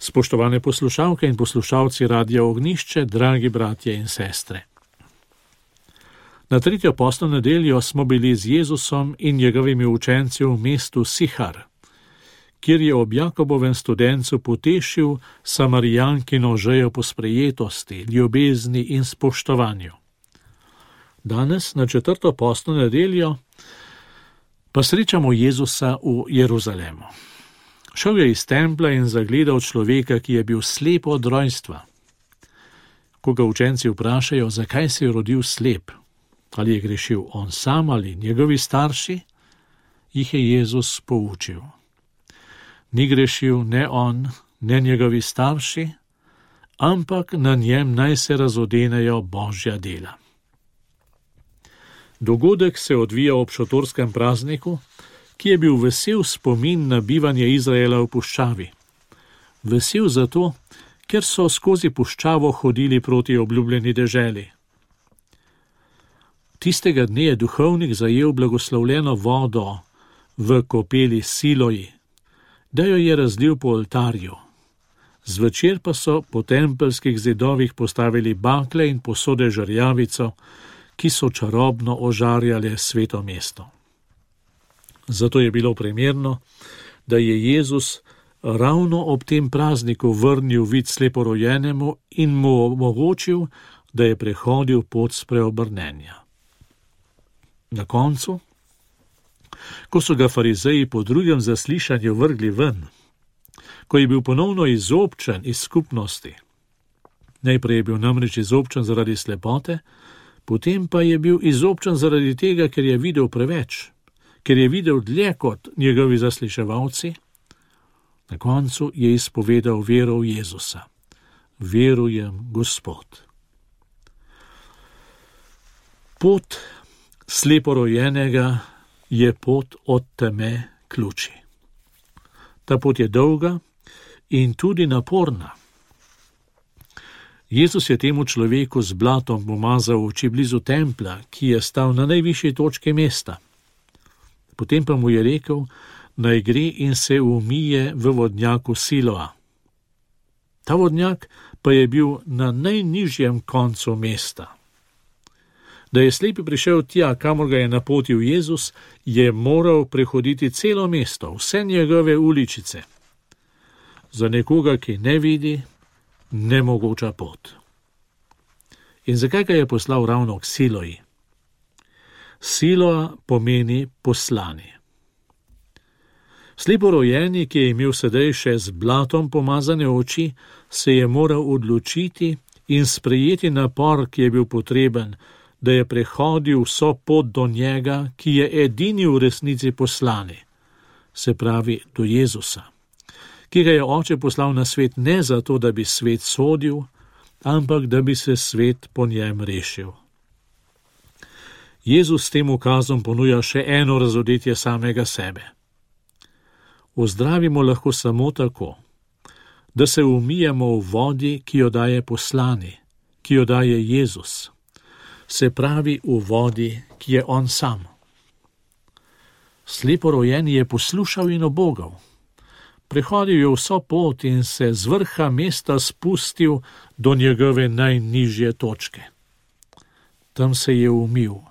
Spoštovane poslušalke in poslušalci Radia Ognjišče, dragi bratje in sestre. Na tretjo postno nedeljo smo bili z Jezusom in njegovimi učenci v mestu Sihar, kjer je ob Jakobovem studencu potešil Samarijankino žejo po sprejetosti, ljubezni in spoštovanju. Danes, na četrto postno nedeljo, pa srečamo Jezusa v Jeruzalemu. Šel je iz templa in zagledal človeka, ki je bil slep od rojstva. Ko ga učenci vprašajo, zakaj se je rodil slep, ali je grešil on sam ali njegovi starši, jih je Jezus poučil. Ni grešil ne on, ne njegovi starši, ampak na njem naj se razodenejo Božja dela. Dogodek se odvija ob šotorskem prazniku, ki je bil vesel spomin na bivanje Izraela v puščavi. Vesel zato, ker so skozi puščavo hodili proti obljubljeni deželi. Tistega dne je duhovnik zajel blagoslovljeno vodo v kopeli Siloji, da jo je razlil po oltarju. Zvečer pa so po tempeljskih zidovih postavili bakle in posode žarjavico, ki so čarobno ožarjale sveto mesto. Zato je bilo primerno, da je Jezus ravno ob tem prazniku vrnil vid sleporojenemu in mu omogočil, da je prehodil pot spreobrnenja. Na koncu, ko so ga farizeji po drugem zaslišanju vrgli ven, ko je bil ponovno izobčen iz skupnosti, najprej je bil namreč izobčen zaradi slepote, potem pa je bil izobčen zaradi tega, ker je videl preveč, ker je videl dlje kot njegovi zasliševalci, na koncu je izpovedal vero v Jezusa. Verujem, Gospod. Pot sleporojenega je pot od teme k luči. Ta pot je dolga in tudi naporna. Jezus je temu človeku z blatom pomazal oči blizu templa, ki je stal na najvišji točki mesta. Potem pa mu je rekel, naj gre in se umije v vodnjaku Siloa. Ta vodnjak pa je bil na najnižjem koncu mesta. Da je slepi prišel tja, kamor ga je napotil Jezus, je moral prehoditi celo mesto, vse njegove uličice. Za nekoga, ki ne vidi, nemogoča pot. In zakaj ga je poslal ravno k Siloji? Siloa pomeni poslani. Sleporojeni, ki je imel sedaj še z blatom pomazane oči, se je moral odločiti in sprejeti napor, ki je bil potreben, da je prehodil vso pot do njega, ki je edini v resnici poslani, se pravi do Jezusa, ki ga je Oče poslal na svet ne zato, da bi svet sodil, ampak da bi se svet po njem rešil. Jezus s tem ukazom ponuja še eno razodetje samega sebe. Ozdravimo lahko samo tako, da se umijemo v vodi, ki jo daje poslani, ki jo daje Jezus, se pravi v vodi, ki je on sam. Sleporojeni je poslušal in obogal. Prehodil je vso pot in se z vrha mesta spustil do njegove najnižje točke. Tam se je umil.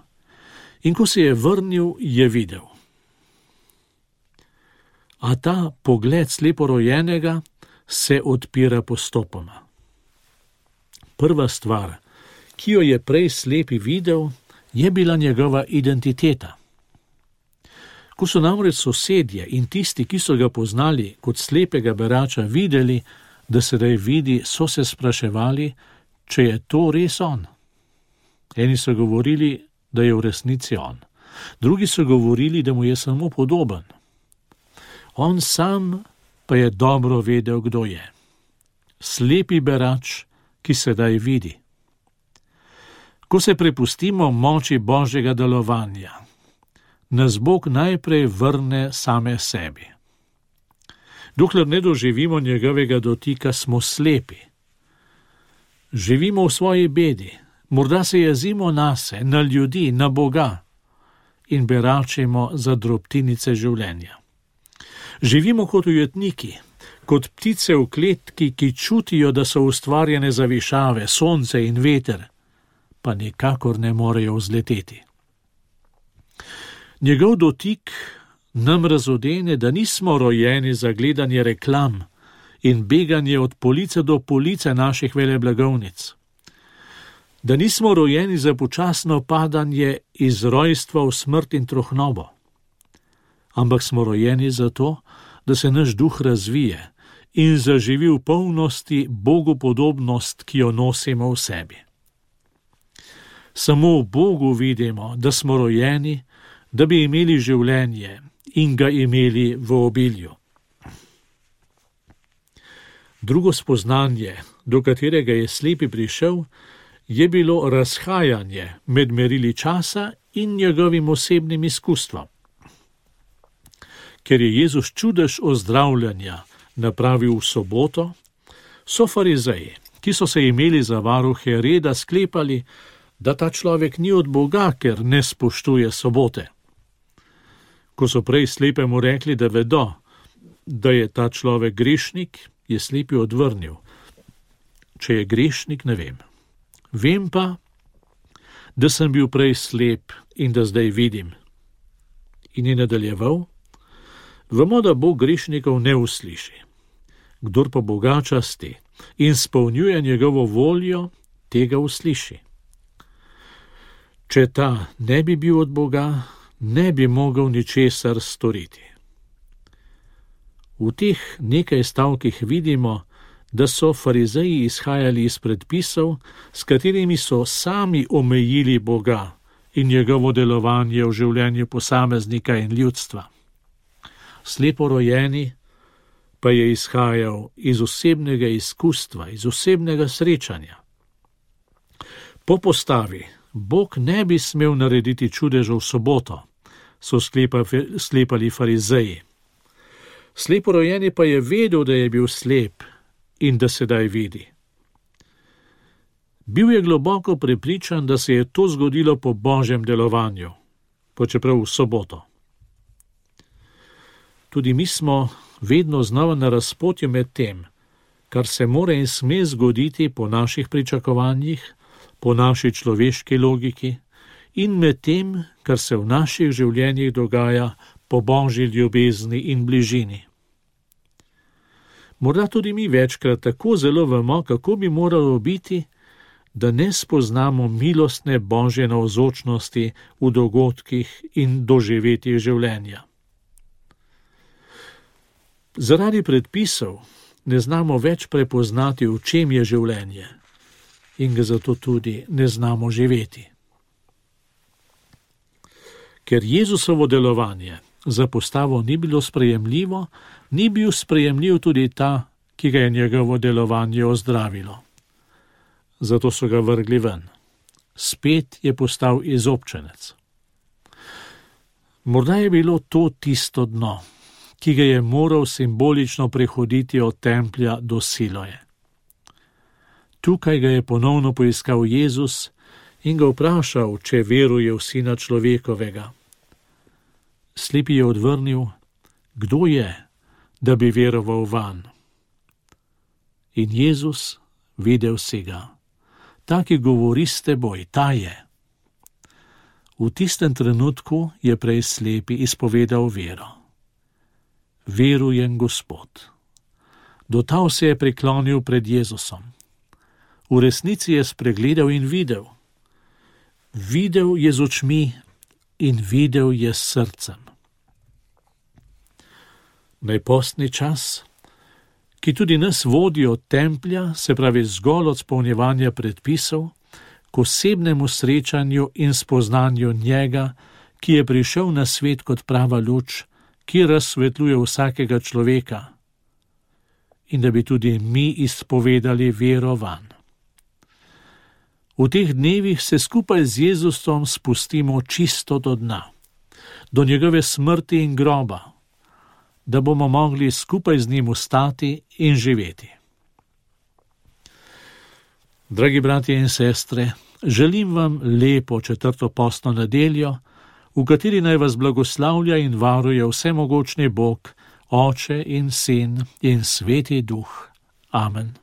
In ko se je vrnil, je videl. A ta pogled sleporojenega se odpira postopoma. Prva stvar, ki jo je prej slepi videl, je bila njegova identiteta. Ko so namreč sosedje in tisti, ki so ga poznali kot slepega berača, videli, da sedaj vidi, so se spraševali, če je to res on. Eni so govorili, da je v resnici on. Drugi so govorili, da mu je samo podoben. On sam pa je dobro vedel, kdo je. Slepi berač, ki sedaj vidi. Ko se prepustimo moči Božjega delovanja, nas Bog najprej vrne same sebi. Dokler ne doživimo njegovega dotika, smo slepi. Živimo v svoji bedi, morda se jezimo nase, na ljudi, na Boga in beračimo za drobtinice življenja. Živimo kot ujetniki, kot ptice v kletki, ki čutijo, da so ustvarjene za višave, sonce in veter, pa nikakor ne morejo vzleteti. Njegov dotik nam razodene, da nismo rojeni za gledanje reklam in beganje od police do police naših veleblagovnic, da nismo rojeni za počasno padanje iz rojstva v smrt in trohnobo, ampak smo rojeni zato, da se naš duh razvije in zaživi v polnosti bogopodobnost, ki jo nosimo v sebi. Samo v Bogu vidimo, da smo rojeni, da bi imeli življenje in ga imeli v obilju. Drugo spoznanje, do katerega je slepi prišel, je bilo razhajanje med merili časa in njegovim osebnim izkustvom. Ker je Jezus čudež ozdravljanja napravil v soboto, so farizeji, ki so se imeli za varuhe reda, sklepali, da ta človek ni od Boga, ker ne spoštuje sobote. Ko so prej slepemu rekli, da vedo, da je ta človek grešnik, je slepi odvrnil: če je grešnik, ne vem. Vem pa, da sem bil prej slep in da zdaj vidim. In je nadaljeval: vemo, da Bog grešnikov ne usliši. Kdor pa Boga časti in spolnjuje njegovo voljo, tega usliši. Če ta ne bi bil od Boga, ne bi mogel ničesar storiti. V teh nekaj stavkih vidimo, da so farizeji izhajali iz predpisov, s katerimi so sami omejili Boga in njegovo delovanje v življenju posameznika in ljudstva. Slepo rojeni pa je izhajal iz osebnega izkustva, iz osebnega srečanja. Po postavi Bog ne bi smel narediti čudežev v soboto, so sklepali farizeji. Sleporojeni pa je vedel, da je bil slep in da sedaj vidi. Bil je globoko prepričan, da se je to zgodilo po Božjem delovanju, pa čeprav v soboto. Tudi mi smo vedno znova na razpotju med tem, kar se mora in sme zgoditi po naših pričakovanjih, po naši človeški logiki in med tem, kar se v naših življenjih dogaja po Božji ljubezni in bližini. Morda tudi mi večkrat tako zelo vemo, kako bi moralo biti, da ne spoznamo milostne Božje navzočnosti v dogodkih in doživetjih življenja. Zaradi predpisov ne znamo več prepoznati, v čem je življenje, in ga zato tudi ne znamo živeti. Ker Jezusovo delovanje za postavo ni bilo sprejemljivo, ni bil sprejemljiv tudi ta, ki ga je njegovo delovanje ozdravilo. Zato so ga vrgli ven. Spet je postal izobčenec. Morda je bilo to tisto dno, ki ga je moral simbolično prehoditi od templja do Siloje. Tukaj ga je ponovno poiskal Jezus in ga vprašal, če veruje v Sina človekovega. Slepi je odvrnil: kdo je, da bi veroval vanj? In Jezus videl si ga. Ta, ki govori s teboj, ta je. V tistem trenutku je prej slepi izpovedal vero. Verujem, Gospod. Dotal se je priklonil pred Jezusom. V resnici je spregledal in videl. Videl je z očmi in videl je s srcem. Najpostni čas, ki tudi nas vodi od templja, se pravi zgolj od spolnjevanja predpisov, k osebnemu srečanju in spoznanju njega, ki je prišel na svet kot prava luč, ki razsvetljuje vsakega človeka, in da bi tudi mi izpovedali vero vanj. V teh dnevih se skupaj z Jezusom spustimo čisto do dna, do njegove smrti in groba, da bomo mogli skupaj z njim vstati in živeti. Dragi bratje in sestre, želim vam lepo 4. postno nedeljo, v kateri naj vas blagoslavlja in varuje vsemogočni Bog, Oče in Sin in Sveti Duh. Amen.